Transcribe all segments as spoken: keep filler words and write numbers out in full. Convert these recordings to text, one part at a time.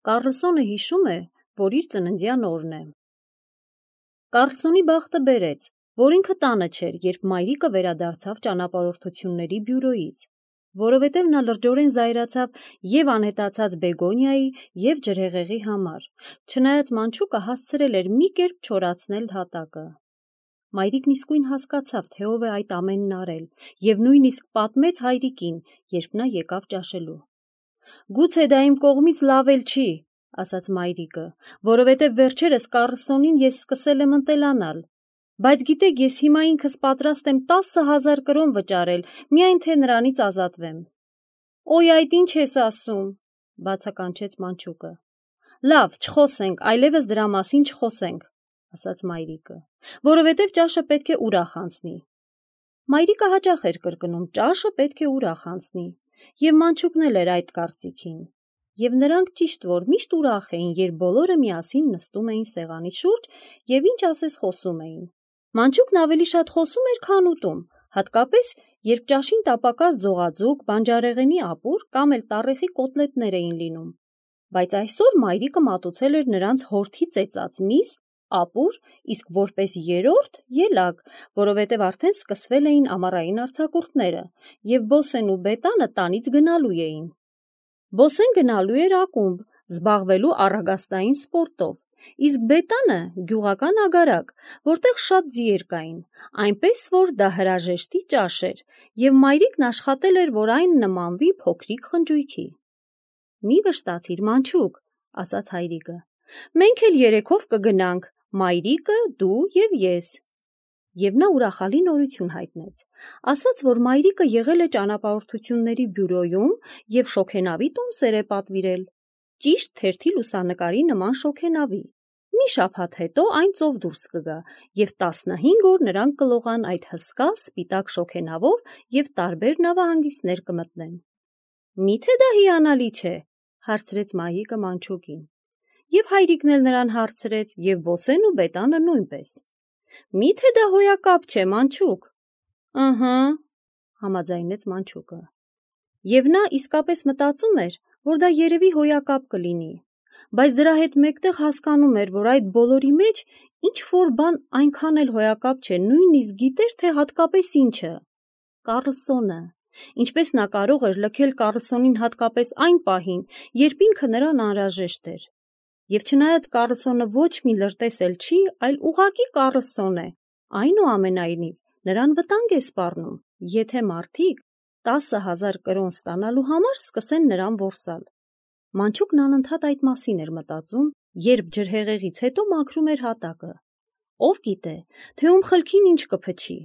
Կառլսոնը հիշում է, որ իր ծննդյան օրն է։ Կառլսոնի բախտը բերեց, որ ինքը տանը չէր, երբ մայրիկը վերադարձավ ճանապարհորդությունների բյուրոյից, որովհետև նա լրջորեն զայրացավ և անհետացած Բեգոնիայի և ջրհեղեղի համար, չնայած մանչուկը հասցրել էր մի կերպ չորացնել հատակը։ Մայրիկն իսկույն հասկացավ, թե ով է այդ ամենն արել, և նույնիսկ պատմեց հայրիկին, երբ նա եկավ ճաշելու։ «Գուցե դա իմ կողմից լավ էլ չի», ասաց մայրիկը, «որովհետև վերջերս Կառլսոնին ես սկսել եմ ընտելանալ, բայց գիտեք, ես հիմա ինքս պատրաստ եմ տասը հազար կրոն վճարել, միայն թե նրանից ազատվեմ»։ «Օй, այդ ինչ ես ասում», բացականչեց մանչուկը։ «Լավ, չխոսենք, այլևս դրա մասին չխոսենք», ասաց մայրիկը, որովհետև ճաշը պետք է ուրախ անցնի։ Մայրիկը հաճախ էր կրկնում. «Ճաշը պետք է ուրախ անցնի», և մանչուկն էլ էր այդ կարծիքին։ Եվ նրանք ճիշտ որ միշտ ուրախ էին, երբ բոլորը միասին նստում էին սեղանի շուրջ և ինչ ասես խոսում էին։ Մանչուկն ավելի շատ խոսում էր, քան ուտում, հատկապես երբ ճաշին տապակած ձողաձուկ, բանջարեղենի ապուր կամ էլ տառեխի կոտլետներ էին լինում։ Բայց այսօր մայրիկը մատուցել էր նրանց հորթի ծեծած միս, ապուր, իսկ որպես երրորդ՝ ելակ, որովհետև արդեն սկսվել էին ամառային արձակուրդները, և Բոսեն ու Բետանը տանից գնալու էին։ Բոսեն գնալու էր ակումբ, զբաղվելու առագաստային սպորտով, իսկ Բետանը՝ գյուղական ագարակ, որտեղ շատ ձիեր կային, այնպես որ դա հրաժեշտի ճաշ էր, և մայրիկն աշխատել էր, որ այն նմանվի փոքրիկ խնջույքի։ «Մի վշտացիր, մանչուկ», ասաց հայրիկը, «մենք էլ երեքով կգնանք, մայրիկը, դու և ես»։ Եվ նա ուրախալի նորություն հայտնեց, ասաց, որ մայրիկը եղել է ճանապարհորդությունների բյուրոյում և շոգենավի տոմսեր է պատվիրել, ճիշտ թերթի լուսանկարի նման շոգենավի։ Մի շաբաթ հետո այն ծով դուրս կգա, և տասնհինգ օր նրանք կլողան այդ հսկա սպիտակ շոգենավով և տարբեր նավահանգիստներ կմտնեն։ «Մի՞թե դա հիանալի չէ», հարցրեց մայրիկը մանչուկին։ Եվ հայրիկն էլ նրան հարցրեց, և Բոսեն ու Բետանը նույնպես։ «Մի՞թե դա հոյակապ չէ, մանչուկ»։ «Ըհը», համաձայնեց մանչուկը։ Եվ նա իսկապես մտածում էր, որ դա երևի հոյակապ կլինի, բայց դրա հետ մեկտեղ հասկանում էր, որ այդ բոլորի մեջ ինչ-որ բան այնքան էլ հոյակապ չէ, նույնիսկ գիտեր, թե հատկապես ինչը։ Կառլսոնը։ Ինչպես նա կարող էր լքել Կառլսոնին հատկապես այն պահին, երբ ինքը նրան անհրաժեշտ էր։ Եվ չնայած Կառլսոնը ոչ մի լրտես էլ չի, այլ ուղղակի Կառլսոն է, այնուամենայնիվ նրան վտանգ է սպառնում, եթե մարդիկ տասը հազար կրոն ստանալու համար սկսեն նրան որսալ։ Մանչուկն անընդհատ այդ մասին էր մտածում, երբ ջրհեղեղից հետո մաքրում էր հատակը։ Ով գիտե, թե ում խելքին ինչ կփչի։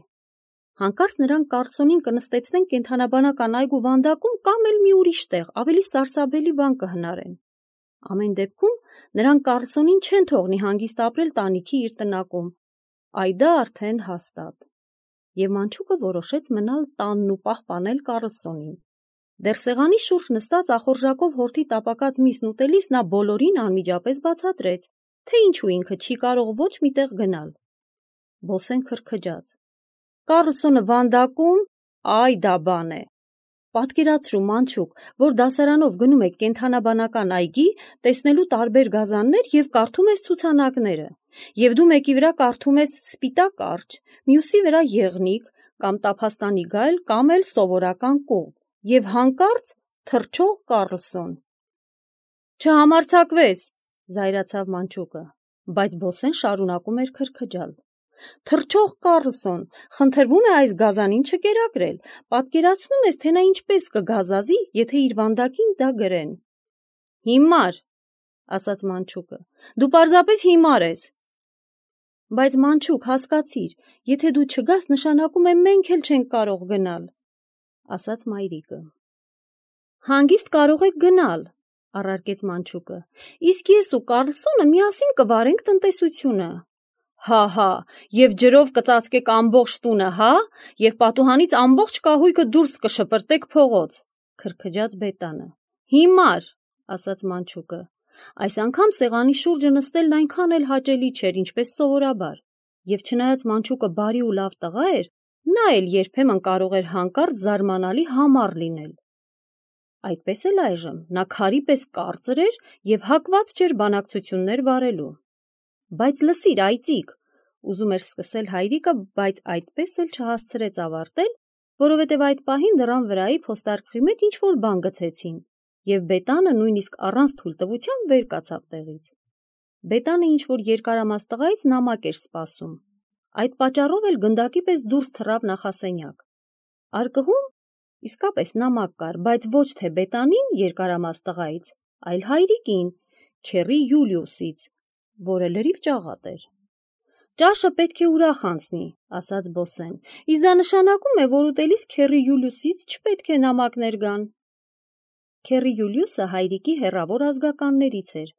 Հանկարծ նրանք Կառլսոնին կնստեցնեն կենդանաբանական այգու վանդակում կամ էլ մի ուրիշ տեղ, ավելի սարսափելի բան կհնարեն։ Ամեն դեպքում նրանք Կառլսոնին չեն թողնի հանգիստ ապրել տանիքի իր տնակում, այ դա արդեն հաստատ։ Եվ մանչուկը որոշեց մնալ տանն ու պահպանել Կառլսոնին։ Դեռ սեղանի շուրջ նստած ախորժակով հորթի տապակած միսն ուտելիս նա բոլորին անմիջապես բացատրեց, թե ինչու ինքը չի կարող ոչ մի տեղ գնալ։ Բոսեն քրքջաց. «Կառլսոնը վանդակում, այ դա բան է։ Պատկերացրու, մանչուկ, որ դասարանով գնում եք կենդանաբանական այգի, տեսնելու տարբեր գազաններ և կարդում ես ցուցանակները, և դու մեկի վրա կարդում ես սպիտակ կարճ, մյուսի վրա եղնիկ, կամ տափաստանի գայլ, կամ էլ սովորական կողմ, և հանկարծ թռչող Կառլսոն»։ «Չհամարձակվես», զայրացավ մանչուկը, բայց Բոսեն շարունակում էր քրքջալ։ «Թռչող Կառլսոն, խնդրվում է այս գազանին չկերակրել, պատկերացնո՞ւմ ես, թե նա ինչպես կգազազի, եթե իր վանդակին դա գրեն»։ «Հիմար», ասաց մանչուկը, «դու պարզապես հիմար ես»։ «Բայց մանչուկ, հասկացիր, եթե դու չգաս, նշանակում է մենք էլ չենք կարող գնալ», ասաց մայրիկը։ «Հանգիստ կարող եք գնալ», առարկեց մանչուկը, «իսկ ես ու Կառլսոնը միասին կվարենք տնտեսությունը»։ «Հա՛, և ջրով կծածկեք ամբողջ տունը, հա՞, և պատուհանից ամբողջ կահույքը դուրս կշպրտեք փողոց», քրքջաց Բետանը։ «Հիմար», ասաց մանչուկը։ Այս անգամ սեղանի շուրջը նստելն այնքան էլ հաճելի չէր, ինչպես սովորաբար, և չնայած մանչուկը բարի ու լավ տղա էր, նա էլ երբեմն կարող էր հանկարծ զարմանալի համառ լինել։ Այդպես էլ այժմ նա քարի պես կարծր էր և հակված չէր բանակցություններ վարելու։ Բայց լսիր, այծիկ, ուզում էր սկսել հայրիկը, բայց այդպես էլ չհասցրեց ավարտել, որովհետև այդ պահին դռան վրայի փոստարկղի մեջ ինչ-որ բան գցեցին, և Բետանը նույնիսկ առանց թույլտվության վեր կացավ տեղից։ Բետանը ինչ-որ երկարամաս տղայից նամակ էր սպասում, այդ պատճառով էլ գնդակի պես դուրս թռավ նախասենյակ։ Արկղում իսկապես նամակ կար, բայց ոչ թե Բետանին երկարամաս տղայից, այլ հայրիկին, քեռի Յուլիուսից, որը լրիվ ճաղատ էր։ Ճաշը պետք է ուրախ անցնի, ասաց Բոսեն, իսկ դա նշանակում է, որ ուտելիս քեռի Յուլիուսից չպետք է նամակներ գան։ Քեռի Յուլիուսը հայրիկի հեռավոր ազգականներից էր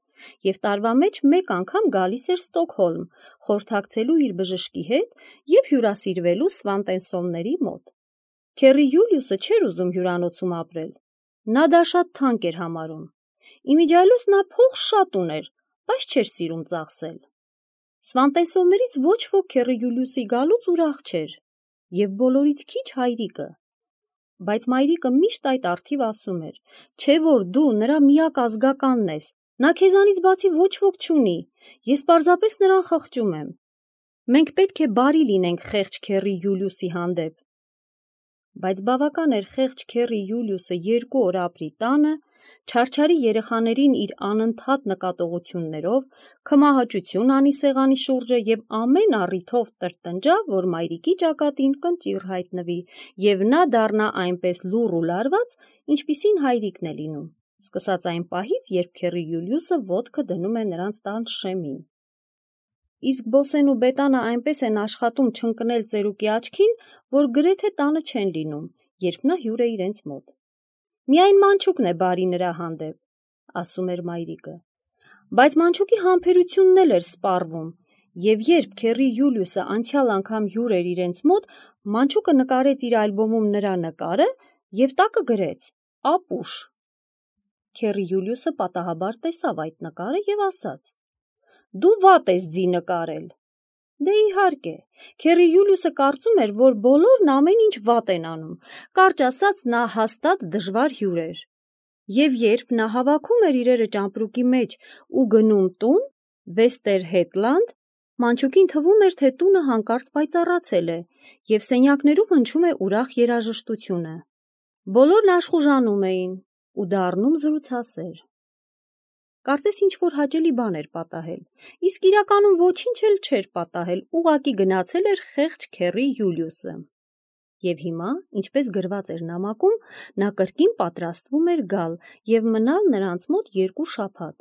և տարվա մեջ մեկ անգամ գալիս էր Ստոկհոլմ, խորհրդակցելու իր բժշկի հետ և հյուրասիրվելու Սվանտենսոնների մոտ։ Քեռի Յուլիուսը չէր ուզում հյուրանոցում ապրել, նա դա շատ թանկ էր համարում։ Իմիջիայլոց նա փող շատ ուներ, բայց չէր սիրում ծախսել։ Սվանտենսոններից ոչ ոք քեռի Յուլիուսի գալուց ուրախ չէր, և բոլորից քիչ հայրիկը։ Բայց մայրիկը միշտ այդ առթիվ ասում էր, չէ որ դու նրա միակ ազգականն ես, նա քեզանից բացի ոչ ոք չունի, ես պարզապես նրան խղճում եմ։ Մենք պետք է բարի լինենք խեղճ քեռի Յուլիուսի հանդեպ։ Բայց բավական էր խեղճ քեռի Յուլիուսը երկու օր ապրի տանը, չարչարի երեխաներին իր անընդհատ նկատողություններով, քմահաճություն անի սեղանի շուրջը և ամեն առիթով տրտնջա, որ մայրիկի ճակատին կնճիռ հայտնվի, և նա դառնա այնպես լուռ ու լարված, ինչպիսին հայրիկն է լինում, սկսած այն պահից, երբ քեռի Յուլիուսը ոտքը դնում է նրանց տան շեմին։ Իսկ Բոսեն ու Բետանը այնպես են աշխատում չընկնել ծերուկի աչքին, որ գրեթե տանը չեն լինում, երբ նա հյուր է իրենց մոտ։ Միայն Մանչուկն է բարի նրա հանդեպ, ասում էր մայրիկը։ Բայց Մանչուկի համբերությունն էլ էր սպառվում, և երբ քեռի Յուլիուսը անցյալ անգամ հյուր էր իրենց մոտ, Մանչուկը նկարեց իր ալբոմում նրա նկարը և տակը գրեց ապուշ։ Քեռի Յուլիուսը պատահաբար տեսավ այդ նկարը և ասաց. «Դու վատ ես ձի նկարել»։ Դե իհարկե, քեռի Յուլիուսը կարծում էր, որ բոլորն ամեն ինչ վատ են անում, կարճ ասած նա հաստատ դժվար հյուր էր։ Եվ երբ նա հավաքում էր իրերը ճամպրուկի մեջ ու գնում տուն, Վեստերհեթլանդ, Մանչուկին թվում էր, թե տունը հանկարծ պայծառացել է, և սենյակներում հնչում է ուրախ երաժշտությունը։ Բոլորն աշխուժանում էին ու դառնում զրուցասեր։ Կարծես ինչ-որ հաճելի բան էր պատահել, իսկ իրականում ոչինչ էլ չէր պատահել, ուղղակի գնացել էր խեղճ քեռի Յուլիուսը։ Եվ հիմա, ինչպես գրված էր նամակում, նա կրկին պատրաստվում էր գալ և մնալ նրանց մոտ երկու շաբաթ։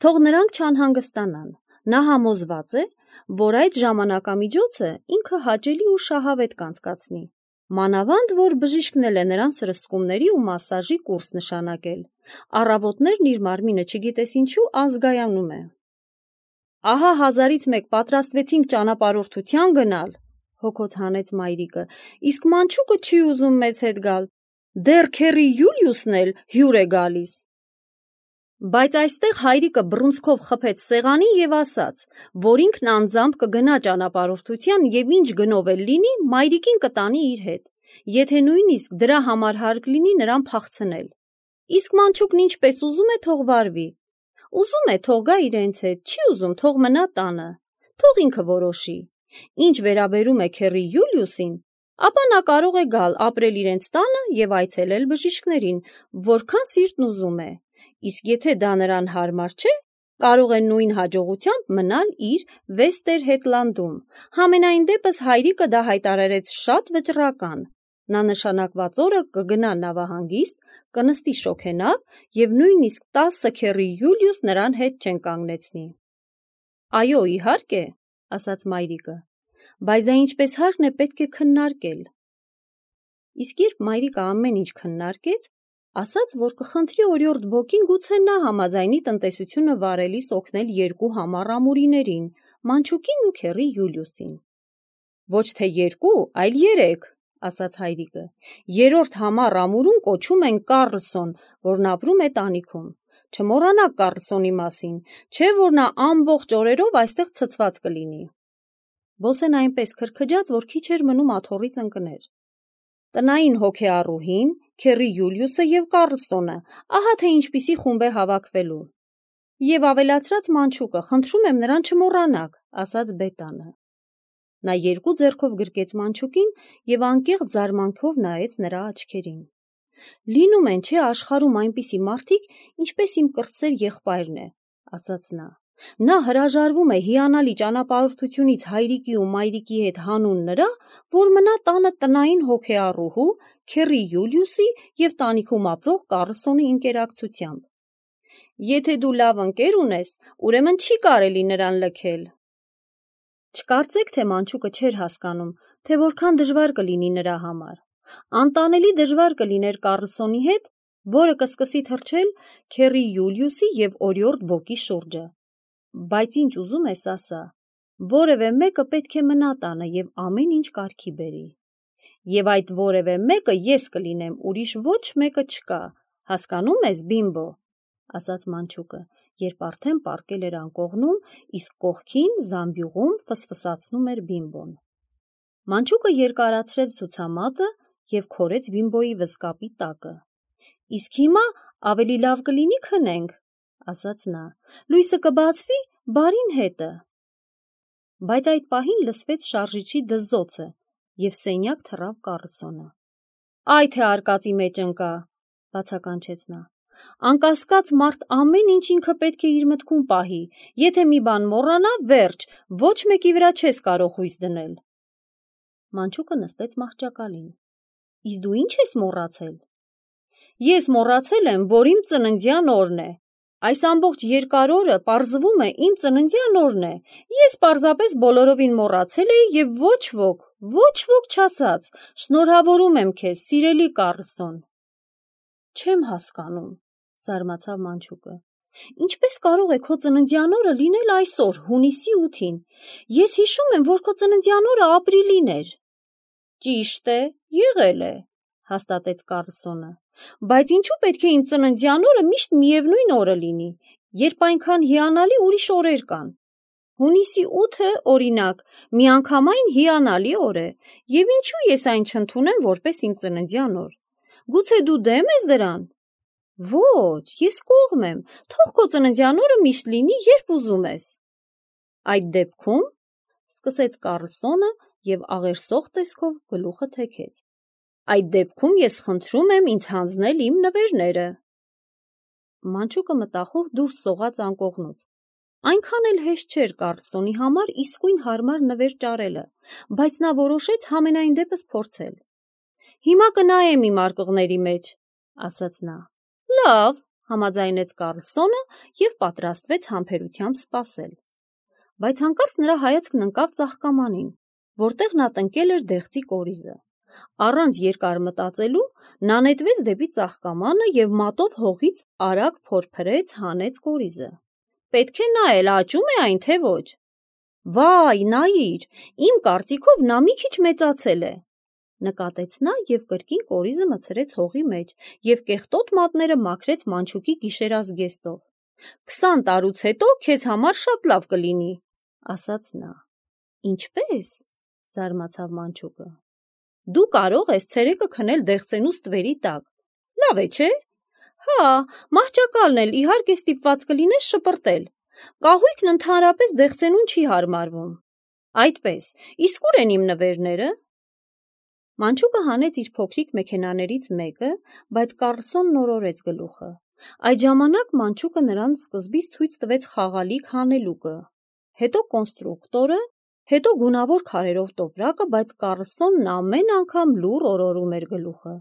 Թող նրանք չանհանգստանան, նա համոզված է, որ այդ ժամանակամիջոցը ինքը հաճելի ու շահավետ կանցկացնի, մանավանդ որ բժիշկն էլ է նրան սրսկումների ու մասաժի կուրս նշանակել, առավոտներն իր մարմինը չգիտես ինչու ազգայանում է։ Ահա հազարից մեկ պատրաստվեցինք ճանապարհորդության գնալ, հոգոց հանեց մայրիկը, իսկ Մանչուկը չի ուզում մեզ հետ գալ, դեռ քեռի Յուլիուսն էլ հյուր է գալիս։ Բայց այստեղ հայրիկը բռունցքով խփեց սեղանին և ասաց, որ ինքն անձամբ կգնա ճանապարհորդության և ինչ գնով էլ լինի, մայրիկին կտանի իր հետ, եթե նույնիսկ դրա համար հարկ լինի նրան փախցնել։ Իսկ Մանչուկն ինչպես ուզում է, թող վարվի։ Ուզում է, թող գա իրենց հետ, չի ուզում, թող մնա տանը, թող ինքը որոշի։ Ինչ վերաբերում է քեռի Յուլիուսին, ապա նա կարող է գալ ապրել իրենց տանը և այցելել բժիշկներին, որքան սիրտն ուզում է, իսկ եթե դա նրան հարմար չէ, կարող է նույն հաջողությամբ մնալ իր Վեստերհեթլանդում։ Համենայն դեպս հայրիկը դա հայտարարեց շատ վճռական։ Նա նշանակված օրը կգնա նավահանգիստ, կնստի շոգենավ և նույնիսկ տասը քեռի Յուլիուս նրան հետ չեն կանգնեցնի։ Այո, իհարկե, ասաց մայրիկը, բայց դա ինչպես հարկն է պետք է քննարկել։ Իսկ երբ մայրիկը ամեն ինչ քննարկեց, ասաց, որ կխնդրի օրիորդ Բոկին գուցե նա համաձայնի տնտեսությունը վարելիս օգնել երկու համառ ամուրիներին, Մանչուկին ու քեռի Յուլիուսին։ Ոչ թե երկու, այլ երեք, ասաց հայրիկը։ Երրորդ համառ ամուրուն կոչում են Կառլսոն, որն ապրում է տանիքում։ Չմոռանաք Կառլսոնի մասին, չէ որ նա ամբողջ օրերով այստեղ ցցված կլինի։ Բոսեն այնպես քրքջաց, որ քիչ էր մնում աթոռից ընկներ։ Տնային հոգեառուհին, Քեռի Յուլիուսը և Կառլսոնը, ահա թե ինչպիսի խումբ է հավաքվելու։ Եվ ավելացրած Մանչուկը, խնդրում եմ նրան չմոռանաք, ասաց Բետանը։ Նա երկու ձեռքով գրկեց Մանչուկին և անկեղծ զարմանքով նայեց նրա աչքերին։ Լինում են, չէ, աշխարհում այնպիսի մարդիկ, ինչպես իմ կրտսեր եղբայրն է, ասաց նա։ Նա հրաժարվում է հիանալի ճանապարհորդությունից հայրիկի ու մայրիկի հետ հանուն նրա, որ մնա տանը տնային հոգեառուհու, քեռի Յուլիուսի և տանիքում ապրող Կառլսոնի ընկերակցությամբ։ Եթե դու լավ ընկեր ունես, ուրեմն չի կարելի նրան լքել։ Չկարծեք, թե Մանչուկը չէր հասկանում, թե որքան դժվար կլինի նրա համար։ Անտանելի դժվար կլիներ Կառլսոնի հետ, որը կսկսի թռչել քեռի Յուլիուսի և օրիորդ Բոկի շուրջը։ Բայց ինչ ուզում ես ասա, որևէ մեկը պետք է մնա տանը և ամեն ինչ կարգի բերի։ Եվ այդ որևէ մեկը ես կլինեմ, ուրիշ ոչ մեկը չկա, հասկանում ես, Բիմբո, ասաց Մանչուկը, երբ արդեն պառկել էր անկողնում, իսկ կողքին զամբյուղում ֆսֆսացնում էր Բիմբոն։ Մանչուկը երկարացրեց ցուցամատը և քորեց Բիմբոյի վզկապի տակը։ Իսկ հիմա ավելի լավ կլինի քնենք, ասաց նա, լույսը կբացվի բարին հետը։ Բայց այդ պահին լսվեց շարժիչի դզզոցը և սենյակ թռավ Կառլսոնը։ Այ թե արկածի մեջ ընկա, բացականչեց նա։ Անկասկած մարդ ամեն ինչ ինքը պետք է իր մտքում պահի, եթե մի բան մոռանա, վերջ, ոչ մեկի վրա չես կարող հույս դնել։ Մանչուկը նստեց մահճակալին։ Իսկ դու ինչ ես մոռացել։ Ես մոռացել եմ, որ իմ ծննդյան օրն է։ Այս ամբողջ երկար օրը պարզվում է իմ ծննդյան օրն է։ Ես պարզապես բոլորովին մոռացել էի և ոչ ոք, ոչ ոք չասաց, շնորհավորում եմ քեզ, սիրելի Կառլսոն։ Չեմ հասկանում, զարմացավ Մանչուկը։ Ինչպես կարող է քո ծննդյան օրը լինել այսօր, հունիսի ութին։ Ես հիշում եմ, որ քո ծննդյան օրը ապրիլին էր։ Ճիշտ է, եղել է, հաստատեց Կառլսոնը։ Բայց ինչու պետք է իմ ծննդյան օրը միշտ միևնույն օրը լինի, երբ այնքան հիանալի ուրիշ օրեր կան։ Հունիսի ութը, օրինակ, միանգամայն հիանալի օր է, և ինչու ես այն չընդունեմ որպես իմ ծննդյան օր։ Գուցե դու դեմ ես դրան։ Ոչ, ես կողմ եմ, թող քո ծննդյան օրը միշտ լինի, երբ ուզում ես։ Այդ դեպքում, սկսեց Կառլսոնը և աղերսող տեսքով գլուխը թեքեց։ Այդ դեպքում ես խնդրում եմ ինձ հանձնել իմ նվերները։ Մանչուկը մտախոհ դուրս սողաց անկողնուց։ Այնքան էլ հեշտ չէր Կառլսոնի համար իսկույն հարմար նվեր ճարելը, բայց նա որոշեց համենայն դեպս փորձել։ Հիմա կնայեմ իմ արկղների մեջ, ասաց նա։ Լավ, համաձայնեց Կառլսոնը և պատրաստվեց համբերությամբ սպասել։ Բայց հանկարծ նրա հայացքն ընկավ ծաղկամանին, որտեղ նա տնկել էր դեղցի կորիզը։ Առանց երկար մտածելու նա նետվեց դեպի ծաղկամանը և մատով հողից արագ փորփրեց, հանեց կորիզը։ Պետք է նայել, աճում է այն, թե ոչ։ Վայ, նայիր, իմ կարծիքով նա մի քիչ մեծացել է, նկատեց նա և կրկին կորիզը մցրեց հողի մեջ և կեղտոտ մատները մաքրեց Մանչուկի գիշերազգեստով։ Քսան տարուց հետո քեզ համար շատ լավ կլինի, ասաց նա։ Ինչպե՞ս, զարմացավ Մանչուկը։ Դու կարող ես ցերեկը քնել դեղցենու ստվերի տակ։ Լավ է, չէ՞։ Հա, մահճակալն էլ իհարկե ստիպված կլինես շպրտել։ Կահույքն ընդհանրապես դեղցենուն չի հարմարվում։ Այդպես, իսկ ուր են իմ նվերները։ Մանչուկը հանեց իր փոքրիկ մեքենաներից մեկը, բայց Կառլսոնն օրորեց գլուխը։ Այդ ժամանակ Մանչուկը նրան սկզբից ցույց տվեց խաղալիք հանելուկը, հետո կոնստրուկտորը, հետո գունավոր քարերով տոպրակը, բայց Կառլսոնն ամեն անգամ լուռ օրորում էր գլուխը։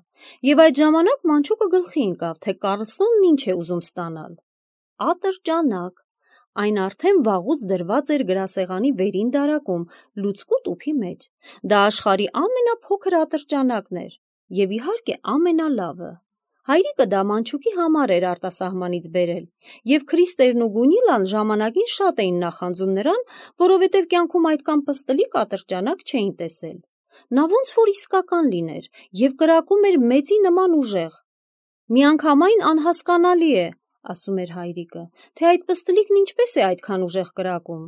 Եվ այդ ժամանակ Մանչուկը գլխի ընկավ, թե Կառլսոնն ինչ է ուզում ստանալ։ Ատրճանակ։ Այն արդեն վաղուց դրված էր գրասեղանի վերին դարակում, լուցկու տուփի մեջ։ Դա աշխարհի ամենափոքր ատրճանակն էր և իհարկե ամենալավը։ Հայրիկը դա Մանչուկի համար էր արտասահմանից բերել, և Քրիստերն ու Գունիլան ժամանակին շատ էին նախանձում նրան, որովհետև կյանքում այդքան պստլիկ ատրճանակ չէին տեսել։ Նա ոնց որ իսկական լիներ և կրակում էր մեծի նման ուժեղ։ Միանգամայն անհասկանալի է, ասում էր հայրիկը, թե այդ պստլիկն ինչպես է այդքան ուժեղ կրակում։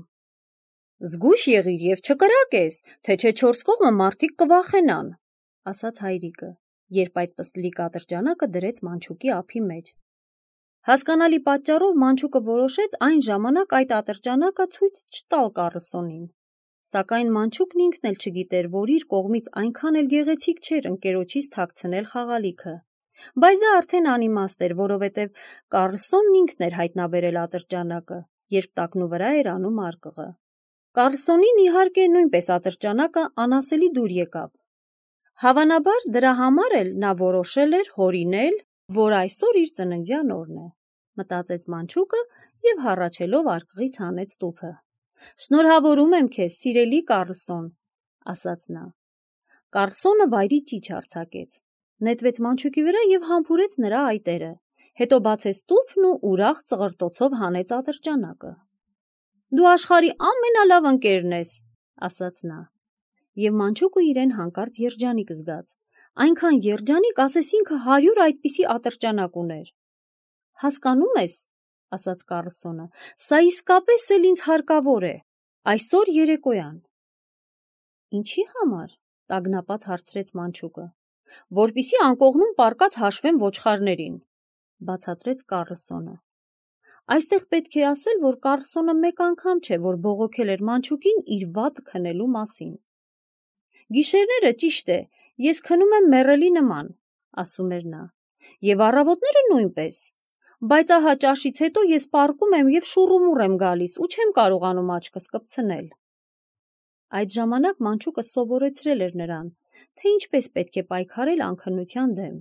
Զգույշ եղիր և չկրակես, թե չէ չորս կողմը մարդիկ կվախենան, ասաց հայրիկը, երբ այդ պստլիկ ատրճանակը դրեց մանչուկի ափի մեջ։ Հասկանալի պատճառով մանչուկը որոշեց այն ժամանակ այդ ատրճանակը ցույց չտալ Կառլսոնին, սակայն մանչուկն ինքն էլ չգիտեր, որ իր կողմից այնքան էլ գեղեցիկ չէր ընկերոջից թաքցնել խաղալիքը, բայց դա արդեն անիմաստ էր, որովհետև Կառլսոնն ինքն էր հայտնաբերել ատրճանակը, երբ տակնու վրա էր անում արկղը։ Կառլսոնին իհարկե նույնպես ատրճանակը անասելի դուր եկավ։ Հավանաբար դրա համար էլ նա որոշել էր հորինել, որ այսօր իր ծննդյան օրն է, մտածեց մանչուկը և հառաչելով արկղից հանեց տուփը։ Շնորհավորում եմ քեզ, սիրելի Կառլսոն, ասաց նա։ Կառլսոնը վայրի ճիչ արձակեց, նետվեց մանչուկի վրա և համբուրեց նրա այտերը, հետո բացեց տուփն ու ուրախ ծղրտոցով հանեց ատրճանակը։ Դու աշխարհի ամենալավ ընկերն ես, ասաց նա, և մանչուկը իրեն հանկարծ երջանիկ զգաց, այնքան երջանիկ, ասես ինքը հարյուր այդպիսի ատրճանակ ուներ։ Հասկանում ես, ասաց Կառլսոնը, սա իսկապես էլ ինձ հարկավոր է, այսօր երեկոյան։ Ինչի համար, տագնապած հարցրեց մանչուկը, որպեսզի անկողնում պառկած հաշվեմ ոչխարներին, բացատրեց Կառլսոնը։ Այստեղ պետք է ասել, որ Կառլսոնը մեկ անգամ չէ, որ բողոքել էր մանչուկին իր վատ քնելու մասին։ Գիշերները, ճիշտ է, ես քնում եմ մեռելի նման, ասում էր նա, և առավոտները նույնպես, բայց ահա ճաշից հետո ես պառկում եմ և շուռումուռ եմ գալիս ու չեմ կարողանում աչքս կպցնել։ Այդ ժամանակ մանչուկը սովորեցրել էր նրան, թե ինչպես պետք է պայքարել անքնության դեմ։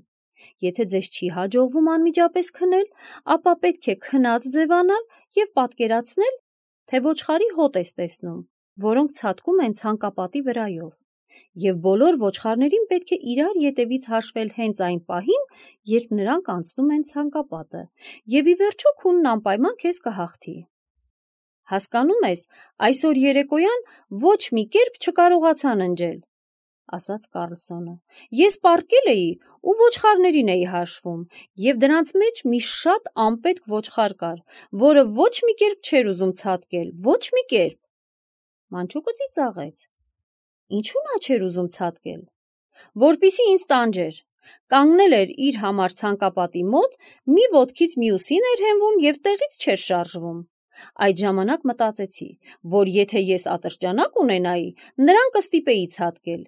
Եթե ձեզ չի հաջողվում անմիջապես քնել, ապա պետք է քնած ձևանալ և պատկերացնել, թե ոչխարի հոտ ես տեսնում, որոնք ցատկում են ցանկապատի վրայով, և բոլոր ոչխարներին պետք է իրար ետևից հաշվել հենց այն պահին, երբ նրանք անցնում են ցանկապատը, և ի վերջո քունն անպայման քեզ կհաղթի։ Հասկանում ես, այսօր երեկոյան ոչ մի կերպ չկարողացա ննջել, ասաց Կառլսոնը։ Ես պառկել էի ու ոչխարներին էի հաշվում, և դրանց մեջ մի շատ անպետք ոչխար կար, որը ոչ մի կերպ չէր ուզում ցատկել, ոչ մի կերպ։ Մանչուկը ծիծաղեց։ Ինչու նա չէր ուզում ցատկել։ Որպեսզի ինձ տանջեր, կանգնել էր իր համար ցանկապատի մոտ, մի ոտքից մյուսին էր հենվում և տեղից չէր շարժվում։ Այդ ժամանակ մտածեցի, որ եթե ես ատրճանակ ունենայի, նրան կստիպեի ցատկել,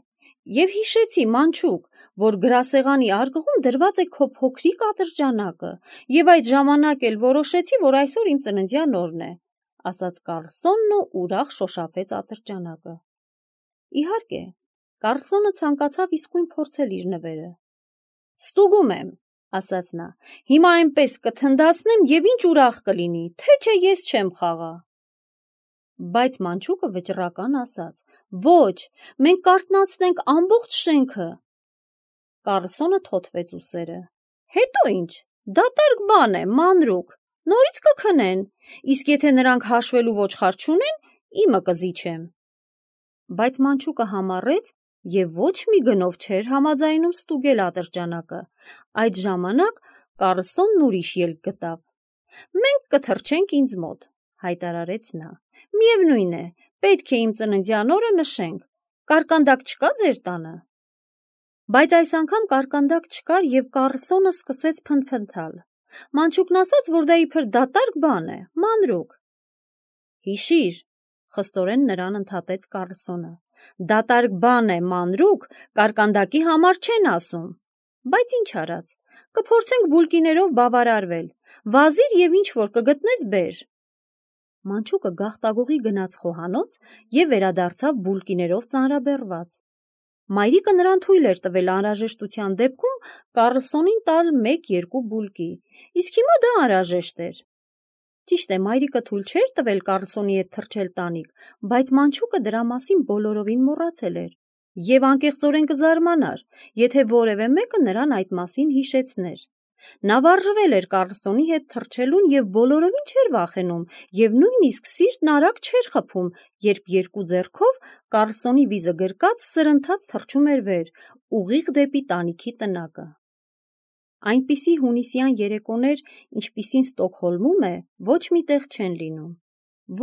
և հիշեցի, մանչուկ, որ գրասեղանի արկղում դրված է քո փոքրիկ ատրճանակը, և այդ ժամանակ էլ որոշեցի, որ այսօր իմ ծննդյան օրն է, ասաց Կառլսոնն ու ուրախ շոշափեց ատրճանակը։ Իհարկե, Կառլսոնը ցանկացավ իսկույն փորձել իր նվերը։ Ստուգում եմ, ասաց նա, հիմա այնպես կթնդացնեմ և ինչ ուրախ կլինի, թե չէ ես չեմ խաղա։ Բայց մանչուկը վճռական ասաց. Ոչ, մենք կարթնացնենք ամբողջ շենքը։ Կառլսոնը թոթվեց ուսերը։ Հետո ինչ, դատարկ բան է, մանրուք, նորից կքնեն, իսկ եթե նրանք հաշվելու ոչխար չունեն, իմը կզիջեմ։ Բայց մանչուկը համառեց և ոչ մի գնով չէր համաձայնում ստուգել ատրճանակը։ Այդ ժամանակ Կառլսոնն ուրիշ ելք գտավ։ Մենք կթռչենք ինձ մոտ, հայտարարեց նա։ Միևնույն է, պետք է իմ ծննդյան օրը նշենք։ Կարկանդակ չկա ձեր տանը։ Բայց այս անգամ կարկանդակ չկար և Կառլսոնը սկսեց փնթփնթալ։ Մանչուկն ասաց, որ դա իբր դատարկ բան է, մանրուք։ Հիշիր, խստորեն նրան ընդհատեց Կառլսոնը, դատարկ բան է, մանրուք, կարկանդակի համար չեն ասում։ Բայց ինչ արած, կփորձենք բուլկիներով բավարարվել, վազիր և ինչ որ կգտնես բեր։ Մանչուկը գաղտագողի գնաց խոհանոց և վերադարձավ բուլկիներով ծանրաբեռված։ Մայրիկը նրան թույլ էր տվել անհրաժեշտության դեպքում Կառլսոնին տալ մեկ-երկու բուլկի, իսկ հիմա դա անհրաժեշտ էր։ Ճիշտ է, մայրիկը թույլ չէր տվել Կառլսոնի հետ թռչել տանիք, բայց մանչուկը դրա մասին բոլորովին մոռացել էր և անկեղծորեն կզարմանար, եթե որևէ մեկը նրան այդ մասին հիշեցներ։ Նա վարժվել էր Կառլսոնի հետ թռչելուն և բոլորովին չէր վախենում և նույնիսկ սիրտն արագ չէր խփում, երբ երկու ձեռքով Կառլսոնի վիզը գրկած սրընթաց թռչում էր վեր, ուղիղ դեպի տանիքի տնակը։ Այնպիսի հունիսյան երեկոներ, ինչպիսին Ստոկհոլմում է, ոչ մի տեղ չեն լինում։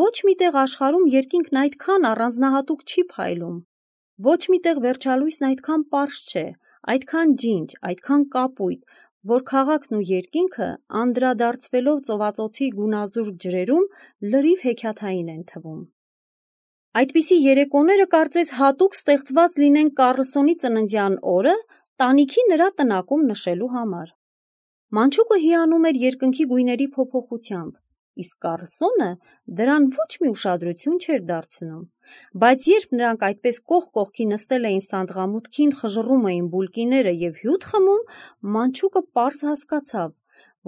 Ոչ մի տեղ աշխարհում երկինքն այդքան առանձնահատուկ չի փայլում։ Ոչ մի տեղ վերջալույսն այդքան պարզ չէ, Այդքան ջինջ, այդքան կապույտ, որ քաղաքն ու երկինքը անդրադարձվելով ծովածոցի գունազուրկ ջրերում լրիվ հեքիաթային են թվում։ Այդպիսի երեկոները կարծես հատուկ ստեղծված լինեն Կառլսոնի ծննդյան օրը տանիքի նրա տնակում նշելու համար։ Մանչուկը հիանում էր երկնքի գույների փոփոխությամբ, իսկ Կառլսոնը դրան ոչ մի ուշադրություն չէր դարձնում, բայց երբ նրանք այդպես կողք կողքի նստել էին սանդղամուտքին, խժռում էին բուլկիները և հյութ խմում, Մանչուկը պարզ հասկացավ,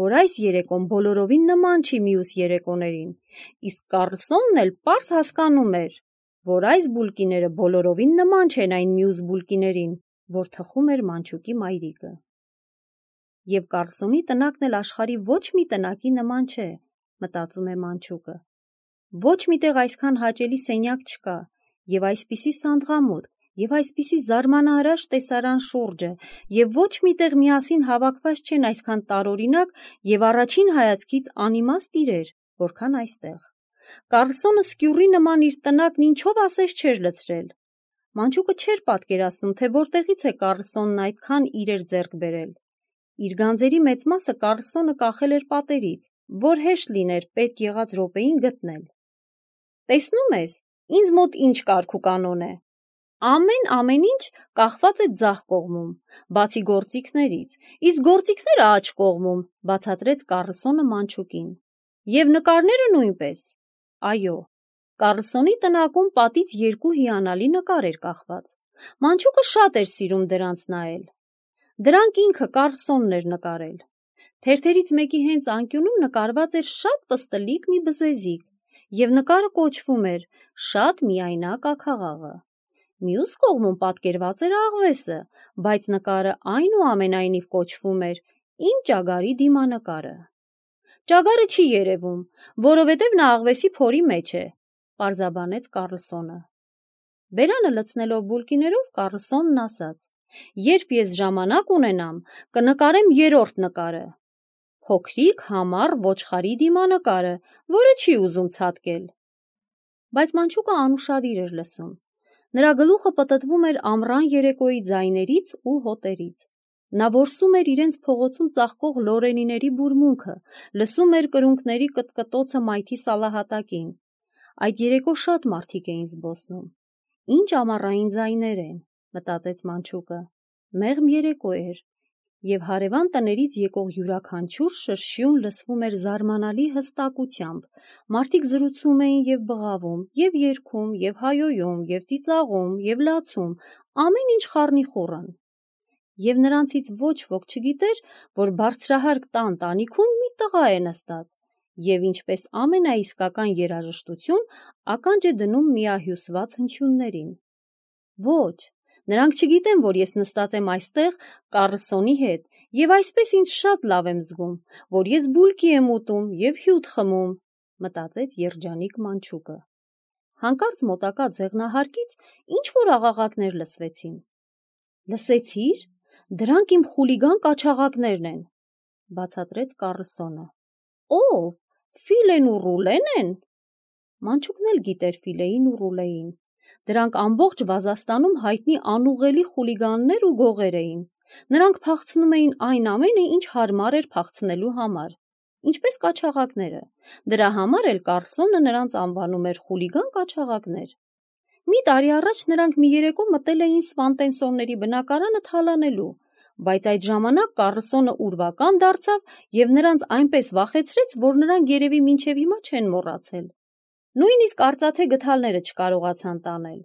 որ այս երեկոն բոլորովին նման չի մյուս երեկոներին, իսկ Կառլսոնն էլ պարզ հասկանում էր, որ այս բուլկիները բոլորովին նման չեն այն մյուս բուլկիներին, որ թխում էր Մանչուկի մայրիկը։ Եվ Կառլսոնի տնակն էլ աշխարհի ոչ մի տնակի նման չէ, մտածում է Մանչուկը։ Ոչ միտեղ այսքան հաճելի սենյակ չկա, և այսպիսի սանդղամուտք, և այսպիսի զարմանահրաշ տեսարան շուրջը, և ոչ միտեղ միասին հավաքված չեն այսքան տարօրինակ և առաջին հայացքից անիմաստ իրեր, որքան այստեղ։ Կառլսոնը սկյուռի նման իր տնակն ինչով ասես չէր լցրել։ Մանչուկը չէր պատկերացնում, թե որտեղից է Կառլսոնն այդքան իրեր ձեռք բերել։ Իր գանձերի մեծ մասը Կառլսոնը կախել էր պատերից, որ հեշտ լիներ պետք եղած րոպեին գտնել։ Տեսնում ես, ինձ մոտ ինչ կարգ ու կանոն է։ Ամեն ամեն ինչ կախված է ձախ կողմում, բացի գործիքներից, իսկ գործիքները աջ կողմում, բացատրեց Կառլսոնը Մանչուկին։ Եվ նկարները նույնպես։ Այո, Կառլսոնի տնակում պատից երկու հիանալի նկար էր կախված։ Մանչուկը շատ էր սիրում դրանց նայել։ Դրանք ինքը Կառլսոնն էր նկարել։ Թերթերից մեկի հենց անկյունում նկարված էր շատ պստլիկ մի բզեզիկ, և նկարը կոչվում էր «Շատ միայնակ աքաղաղը»։ Մյուս կողմում պատկերված էր աղվեսը, բայց նկարը այնուամենայնիվ կոչվում էր «Իմ ճագարի դիմանկարը»։ Ճագարը չի երևում, որովհետև նա աղվեսի փորի մեջ է, պարզաբանեց Կառլսոնը։ Բերանը լցնելով բուլկիներով Կառլսոնն ասաց. «Երբ ես ժամանակ ունենամ, կնկարեմ երրորդ նկարը, փոքրիկ համառ ոչխարի դիմանկարը, որը չի ուզում ցատկել»։ Բայց Մանչուկը անուշադիր էր լսում։ Նրա գլուխը պտտվում էր ամռան երեկոյի ձայներից ու հոտերից։ Նա որսում էր իրենց փողոցում ծաղկող լորենիների բուրմունքը, լսում էր կրունկների կտկտոցը մայթի սալահատակին։ Այդ երեկո շատ մարդիկ էին զբոսնում։ Ինչ ամառային ձայներ են, մտածեց Մանչուկը։ Մեղմ երեկո էր, և հարևան տներից եկող յուրաքանչյուր շրշյուն լսվում էր զարմանալի հստակությամբ, մարդիկ զրուցում էին և բղավում, և երգում, և հայոյում, և ծիծաղում, և լացում, ամեն ինչ խառնիխուռն։ Եվ նրանցից ոչ ոք չգիտեր, որ բարձրահարկ տան տանիքում մի տղա է նստած, և ինչպես ամենաիսկական երաժշտություն ականջ է դնում միահյուսված հնչյուններին։ Ոչ, նրանք չգիտեն, որ ես նստած եմ այստեղ Կառլսոնի հետ, և այսպես ինձ շատ լավ եմ զգում, որ ես բուլկի եմ ուտում և հյութ խմում, մտածեց երջանիկ Մանչուկը։ Հանկարծ մոտակա ձեղնահարկից ինչ-որ աղաղակներ լսվեցին։ Լսեցի՞ր, դրանք իմ խուլիգան կաչաղակներն են, բացատրեց Կառլսոնը։ Ո՞վ, Ֆիլեն ու Ռուլեն են։ Մանչուկն էլ գիտեր Ֆիլեին ու Ռուլեին։ Դրանք ամբողջ Վազաստանում հայտնի անուղղելի խուլիգաններ ու գողեր էին։ Նրանք փախցնում էին այն ամենը, ինչ հարմար էր փախցնելու համար, ինչպես կաչաղակները։ Դրա համար էլ Կառլսոնը նրանց անվանում էր խուլիգան կաչաղակներ։ Մի տարի առաջ նրանք մի երեկո մտել էին Սվանտենսոնների բնակարանը թալանելու, բայց այդ ժամանակ Կառլսոնը ուրվական դարձավ և նրանց այնպես վախեցրեց, որ նրանք երևի մինչև հիմա չեն մոռացել։ Նույնիսկ արծաթե գդալները չկարողացան տանել։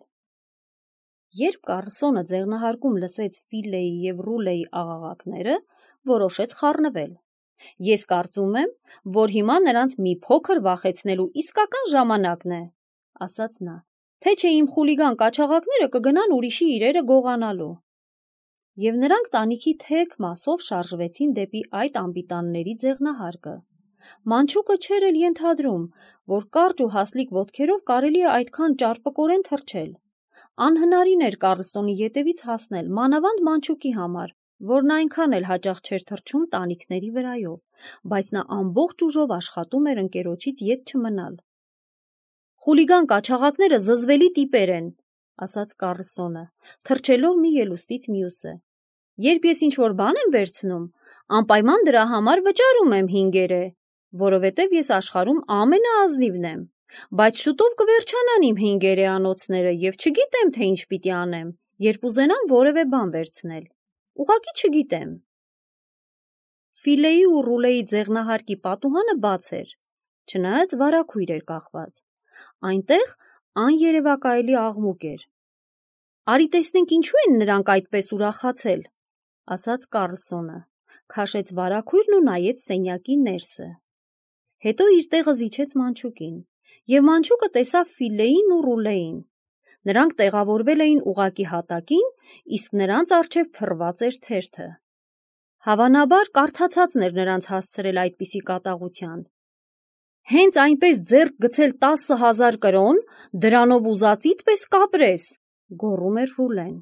Երբ Կառլսոնը ձեղնահարկում լսեց Ֆիլեի և Ռուլեի աղաղակները, որոշեց խառնվել։ Ես կարծում եմ, որ հիմա նրանց մի փոքր վախեցնելու իսկական ժամանակն է, ասաց նա, թե չէ իմ խուլիգան կաչաղակները կգնան ուրիշի իրերը գողանալու։ Եվ նրանք տանիքի թեք մասով շարժվեցին դեպի այդ անպիտանների ձեղնահարկը։ Մանչուկը չէր էլ ենթադրում, որ կարճ ու հասլիկ ոտքերով կարելի է այդքան ճարպկորեն թռչել։ Անհնարին էր Կառլսոնի ետևից հասնել, մանավանդ Մանչուկի համար, որն այնքան էլ հաճախ չէր թռչում տանիքների վրայով, բայց նա ամբողջ ուժով աշխատում էր ընկերոջից ետ չմնալ։ Խուլիգան կաչաղակները զզվելի տիպեր են, ասաց Կառլսոնը, թռչելով մի ելուստից մյուսը։ Երբ ես ինչ-որ բան եմ վերցնում, անպայման դրա համար վճարում եմ հինգերե, որովհետև ես աշխարհում ամենաազնիվն եմ, բայց շուտով կվերջանան իմ հինգերեանոցները և չգիտեմ, թե ինչ պիտի անեմ, երբ ուզենամ որևէ բան վերցնել, ուղղակի չգիտեմ։ Ֆիլեի ու Ռուլեի ձեղնահարկի պատուհանը բաց էր, չնայած վարագույր էր կախված, այնտեղ աներևակայելի աղմուկ էր։ Արի տեսնենք ինչու են նրանք այդպես ուրախացել, ասաց Կարլսոնը, քաշեց վարագույրն ու նայեց սենյակի ներսը։ Հետո իր տեղը զիջեց մանչուկին, և մանչուկը տեսավ Ֆիլեին ու Ռուլեին։ Նրանք տեղավորվել էին ուղղակի հատակին, իսկ նրանց առջև փռված էր թերթը։ Հավանաբար կարդացածն էր նրանց հասցրել այդպիսի կատաղության։ Հենց այնպես ձեռք գցել տասը հազար կրոն, դրանով ուզածիդ պես կապրես, գոռում էր Ռուլեն,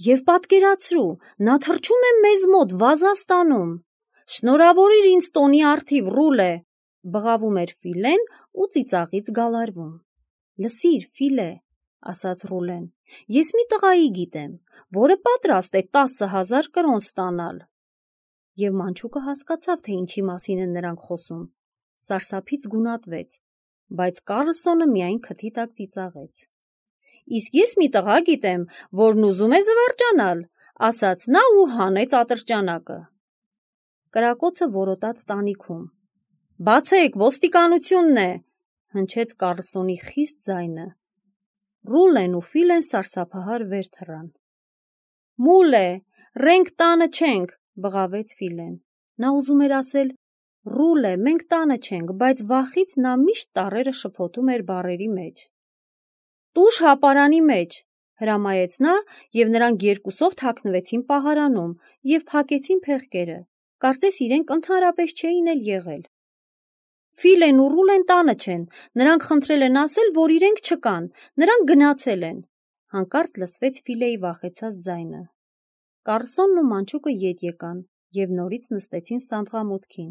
և պատկերացրու, նա թռչում է մեզ մոտ Վազաստանում։ Շնորհավորիր ինձ տոնի առթիվ, Ռուլե, բղավում էր Ֆիլեն ու ծիծաղից գալարվում։ Լսիր, Ֆիլե, ասաց Ռուլեն, ես մի տղայի գիտեմ, որը պատրաստ է տասը հազար կրոն ստանալ։ Եվ մանչուկը հասկացավ, թե ինչի մասին են նրանք խոսում, սարսափից գունատվեց, բայց Կարլսոնը միայն քթի տակ ծիծաղեց։ Իսկ ես մի տղա գիտեմ, որն ուզում է զվարճանալ, ասաց նա ու հանեց ատրճանակը։ Կրակոցը որոտաց տանիքում։ Բացեք, ոստիկանությունն է, հնչեց Կարլսոնի խիստ ձայնը։ Ռուլեն ու Ֆիլեն սարսափահար վեր թռան։ Մուլե, ռենք տանը չենք, բղավեց Ֆիլեն։ Նա ուզում էր ասել Ռուլե, մենք տանը չենք, բայց վախից նա միշտ տառերը շփոթում էր բառերի մեջ։ Տուժ հապարանի մեջ, հրամայեց նա, և նրանք երկուսով թաքնվեցին պահարանում և փակեցին փեղկերը, կարծես իրենք ընդհանրապես չէին էլ եղել։ Ֆիլեն ու Ռուլեն տանը չեն, նրանք խնդրել են ասել, որ իրենք չկան, նրանք գնացել են, հանկարծ լսվեց Ֆիլեի վախեցած ձայնը։ Կարլսոնն ու մանչուկը ետ եկան և նորից նստեցին սանդղամուտքին,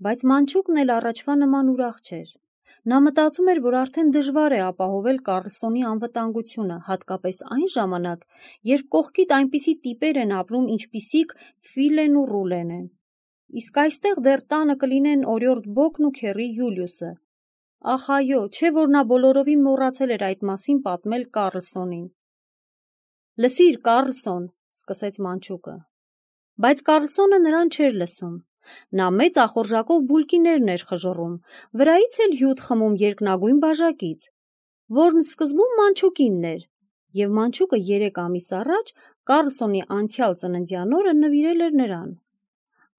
բայց մանչուկն էլ առաջվա նման ուրախ չէր։ Նա մտածում էր, որ արդեն դժվար է ապահովել Կարլսոնի անվտանգությունը, հատկապես այն ժամանակ, երբ կողքիդ այնպիսի տիպեր են ապրում, ինչպիսիք Ֆիլեն ու Ռուլեն են։ Իսկ այստեղ դեռ տանը կլինեն օրիորդ Բոկն ու քեռի Յուլիուսը։ Ախ այո, չէ որ նա բոլորովին մոռացել էր այդ մասին պատմել Կարլսոնին։ Լսիր, Կարլսոն, սկսեց մանչուկը։ Բայց Կարլսոնը նրան չէր լսում։ Նա մեծ ախորժակով բուլկիներն էր խժռում, վրայից էլ հյութ խմում երկնագույն բաժակից, որն սկզբում մանչուկինն էր, և մանչուկը երեք ամիս առաջ Կարլսոնի անցյալ ծննդյան օրը նվիրել էր նրան։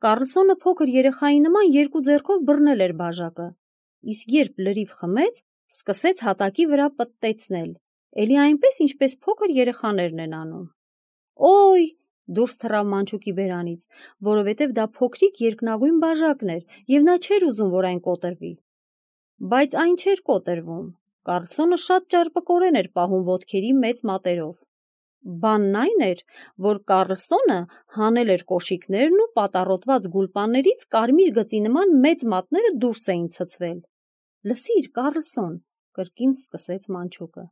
Կարլսոնը փոքր երեխայի նման երկու ձեռքով բռնել էր բաժակը, իսկ երբ լրիվ խմեց, սկսեց հատակի վրա պտտեցնել, էլի այնպես, ինչպես փոքր երեխաներն են անում։ Օй, դուրս թռավ մանչուկի բերանից, որովհետև դա փոքրիկ երկնագույն բաժակն էր, և նա չէր ուզում, որ այն կոտրվի։ Բայց այն չէր կոտրվում։ Կարլսոնը շատ ճարպկորեն էր պահում ոտքերի մեծ մատերով։ Բանն այն էր, որ Կարլսոնը հանել էր կոշիկներն ու պատառոտված գուլպաներից կարմիր գծի նման մեծ մատները դուրս էին ցցվել։ Լսիր, Կարլսոն, կրկին սկսեց մանչուկը։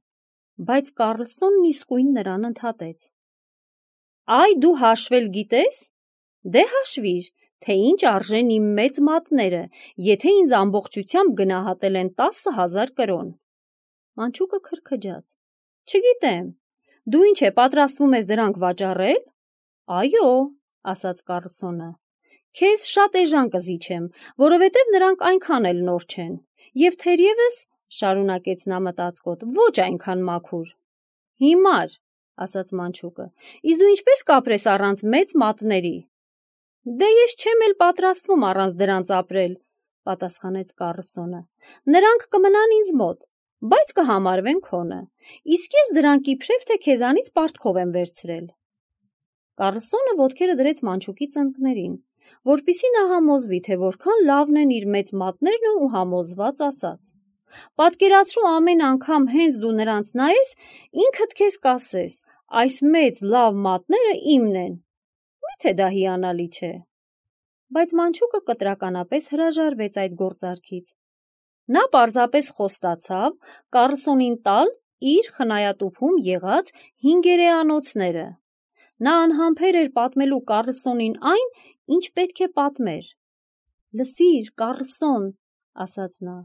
Բայց Կարլսոնն իսկույն նրան ընդհատեց։ Այ դու հաշվել գիտես։ Դե հաշվիր, թե ինչ արժեն իմ մեծ մատները, եթե ինձ ամբողջությամբ գնահատել են տասը հազար կրոն։ Մանչուկը քրքջաց։ Չգիտեմ, դու ինչ է պատրաստվում ես դրանք վաճառել։ Այո, ասաց Կարլսոնը, քեզ շատ էժան կզիջեմ, որովհետև նրանք այնքան էլ նոր չեն, և թերևս, շարունակեց նա մտածկոտ, ոչ այնքան մաքուր։ Հիմար, ասաց մանչուկը, իսկ դու ինչպես կապրես առանց մեծ մատների։ Դե ես չեմ էլ պատրաստվում առանց դրանց ապրել, պատասխանեց Կարլսոնը։ Նրանք կմնան ինձ մոտ, բայց կհամարվեն քոնը, իսկ ես դրանք իբրև թե քեզանից պարտքով եմ վերցրել։ Կարլսոնը ոտքերը դրեց մանչուկի ծնկներին, որպեսզի նա համոզվի, թե որքան լավն են իր մեծ մատներն ու համոզված ասաց. Պատկերացրու ամեն անգամ հենց դու նրանց նայես, ինքդ քեզ կասես, այս մեծ լավ մատները իմն են։ Մի՞թե դա հիանալի չէ։ Բայց մանչուկը կտրականապես հրաժարվեց այդ գործարքից։ Նա պարզապես խոստացավ Կարլսոնին տալ իր խնայատուփում եղած հինգերեանոցները։ Նա անհամբեր էր պատմելու Կառլսոնին այն, ինչ պետք է պատմեր։ «Լսիր, Կառլսոն», ասաց նա,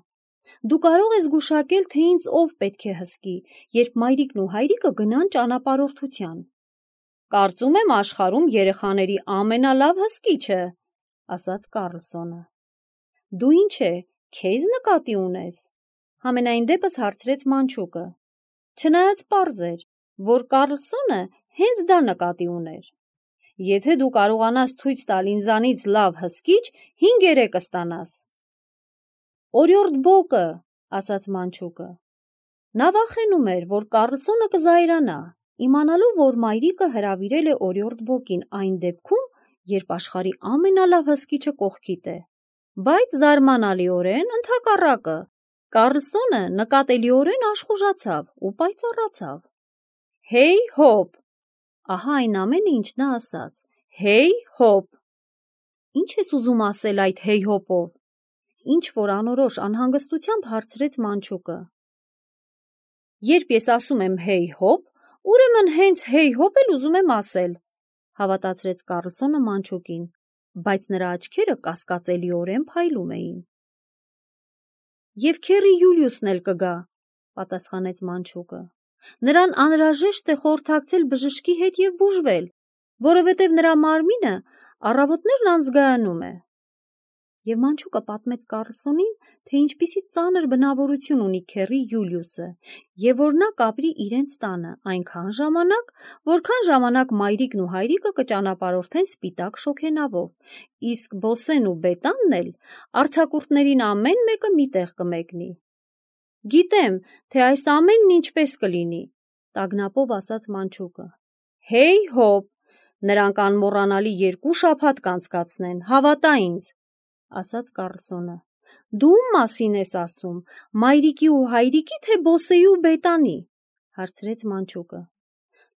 «դու կարող ես գուշակել, թե ինձ ով պետք է հսկի, երբ մայրիկն ու հայրիկը գնան ճանապարհորդության»։ «Կարծում եմ աշխարհում երեխաների ամենալավ հսկիչը», ասաց Կառլսոնը։ «Դու ինչ է, քեզ նկատի ունես»։ Համենայն դեպս հարցրեց Մանչուկը։ Չնայած պարզ էր, որ Կառլսոնը հենց դա նկատի ուներ։ «Եթե դու կարողանաս ցույց տալ ինձանից լավ հսկիչ, հինգերեք կստանաս»։ «Օրիորդ Բոկը», ասաց Մանչուկը։ Նա վախենում էր, որ Կառլսոնը կզայրանա, իմանալով, որ մայրիկը հրավիրել է Օրիորդ Բոկին այն դեպքում, երբ աշխարհի ամենալավ հսկիչը կողքիդ է, բայց զարմանալիորեն ընդհակառակը, Կառլսոնը նկատելիորեն աշխուժացավ ու պայծառացավ։ «Հեյ հոպ», ահա այն ամենը, ինչ նա ասաց, «հեյ հոպ»։ «Ինչ ես ուզում ասել այդ հեյ հոպով»։ Ինչ-որ անորոշ անհանգստությամբ հարցրեց Մանչուկը։ «Երբ ես ասում եմ հեյ հոպ, ուրեմն հենց հեյ հոպ էլ ուզում եմ ասել», հավատացրեց Կառլսոնը Մանչուկին, բայց նրա աչքերը կասկածելիորեն փայլում էին։ «Եվ քեռի Յուլիուսն էլ կգա», պատասխանեց Մանչուկը։ «Նրան անհրաժեշտ է խորհրդակցել բժշկի հետ և բուժվել, որովհետև նրա մարմինը առավոտներն անզգայանում է»։ Եվ Մանչուկը պատմեց Կառլսոնին, թե ինչպիսի ծանր բնավորություն ունի քեռի Յուլիուսը, և որ նա կապրի իրենց տանը այնքան ժամանակ, որքան ժամանակ մայրիկն ու հայրիկը կճանապարհորդեն սպիտակ շոգենավով, իսկ Բոսեն ու Բետանն էլ արձակուրդներին ամեն մեկը մի տեղ կմեկնի։ «Գիտեմ, թե այս ամենն ինչպես կլինի», տագնապով ասաց Մանչուկը։ «Հեյ հոպ, նրանք անմոռանալի երկու շաբաթ կանցկացնեն, հավատա ինձ», ասաց Կառլսոնը։ «Դու ում մասին ես ասում, մայրիկի ու հայրիկի, թե Բոսեի ու Բետանի», հարցրեց Մանչուկը։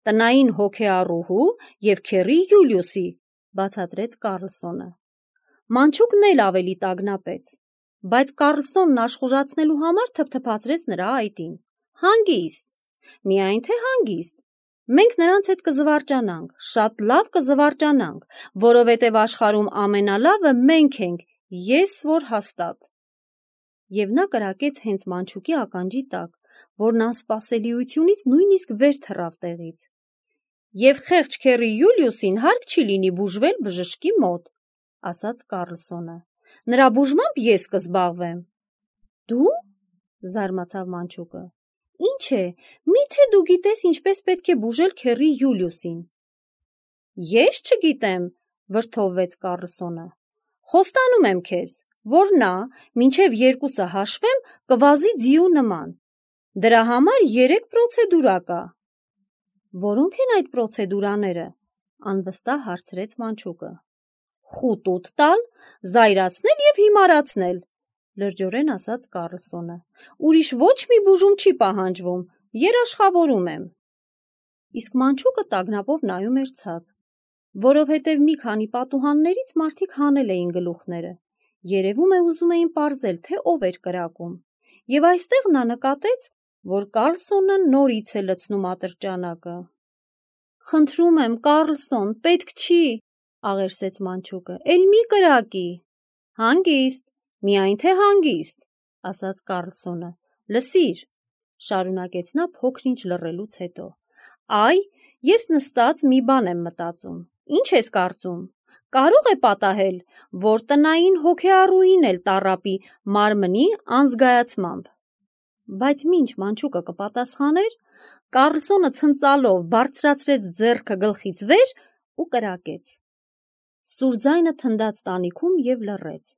«Տնային հոգեառուհու և քեռի Յուլիուսի», բացատրեց Կառլսոնը։ Մանչուկն էլ ավելի տագնապեց, բայց Կառլսոնն աշխուժացնելու համար թփթփացրեց նրա այտին։ «Հանգիստ, միայն թե հանգիստ, մենք նրանց հետ կզվարճանանք, շատ լավ կզվարճանանք, որովհետև աշխարհում ամենալավը մենք ենք, ես որ հաստատ»։ Եվ նա կրակեց հենց Մանչուկի ականջի տակ, որն անսպասելիությունից նույնիսկ վեր թռավ տեղից։ «Եվ խեղճ քեռի Յուլիուսին հարկ չի լինի բուժվել բժշկի մոտ», ասաց Կառլսոնը։ «Նրա բուժմամբ ես կզբաղվեմ»։ «Դու»։ զարմացավ Մանչուկը։ «Ինչ է, մի՞թե դու գիտես ինչպես պետք է բուժել քեռի Յուլիուսին»։ «Ես չգիտեմ», վրդովվեց Կառլսոնը։ «Խոստանում եմ քեզ, որ նա, մինչև երկուսը հաշվեմ, կվազի ձիու նման։ Դրա համար երեք պրոցեդուրա կա»։ «Որո՞նք են այդ պրոցեդուրաները», անվստահ հարցրեց Մանչուկը։ «Խուտուտ տալ, զայրացնել և հիմարացնել», լրջորեն ասաց Կառլսոնը։ «Ուրիշ ոչ մի բուժում չի պահանջվում, երաշխավորում եմ»։ Իսկ Մանչուկը տագնապով նայում էր ցած, որովհետև մի քանի պատուհաններից մարդիկ հանել էին գլուխները, երևում է ուզում էին պարզել, թե ով էր կրակում, և այստեղ նա նկատեց, որ Կառլսոնը նորից է լցնում ատրճանակը։ «Խնդրում եմ, Կառլսոն, պետք չի», աղերսեց Մանչուկը, «էլ մի կրակի»։ «Հանգիստ, միայն թե հանգիստ», ասաց Կառլսոնը։ «Լսիր», շարունակեց նա փոքր-ինչ լռելուց հետո, «այ, ես նստած մի բան եմ մտածում։ Ինչ ես կարծում, կարո՞ղ է պատահել, որ տնային հոգեառուին էլ տառապի մարմնի անզգայացմամբ»։ Բայց մինչ Մանչուկը կպատասխաներ, Կառլսոնը ցնծալով բարձրացրեց ձեռքը գլխից վեր ու կրակեց։ Սուր ձայնը թնդաց տանիքում և լռեց։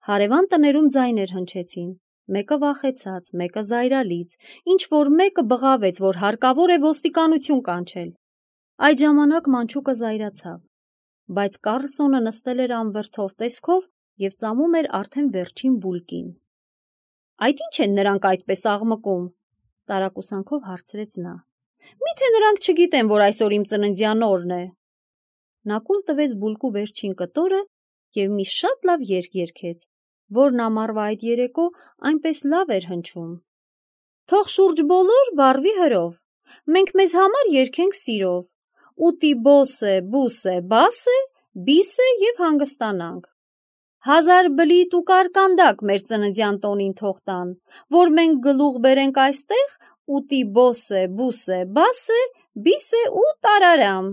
Հարևան տներում ձայներ հնչեցին, մեկը վախեցած, մեկը զայրալից, ինչ-որ մեկը բղավեց, որ հարկավոր է ոստիկանություն կանչել։ Այդ ժամանակ Մանչուկը զայրացավ, բայց Կառլսոնը նստել էր անվրդով տեսքով և ծամում էր արդեն վերջին բուլկին։ «Այդ ի՞նչ են նրանք այդպես աղմկում», տարակուսանքով հարցրեց նա։ «Մի՞թե նրանք չգիտեն, որ այսօր իմ ծննդյան օրն է»։ Նա կուլ տվեց բուլկու վերջին կտորը և մի շատ լավ երգ երգեց, որն ամառվա այդ երեկո այնպես լավ էր հնչում. «Թող շուրջ բոլոր վառվի հրով, մենք մեզ համար երգենք սիրով, ուտի բոսե, բուսե, բասե, բիսե և հանգստանանք։ Հազար բլիթ ու կարկանդակ մեր ծննդյան տոնին թող տան, որ մենք գլուխ բերենք այստեղ, ուտի բոսե, բուսե, բասե, բիսե ու տարարամ։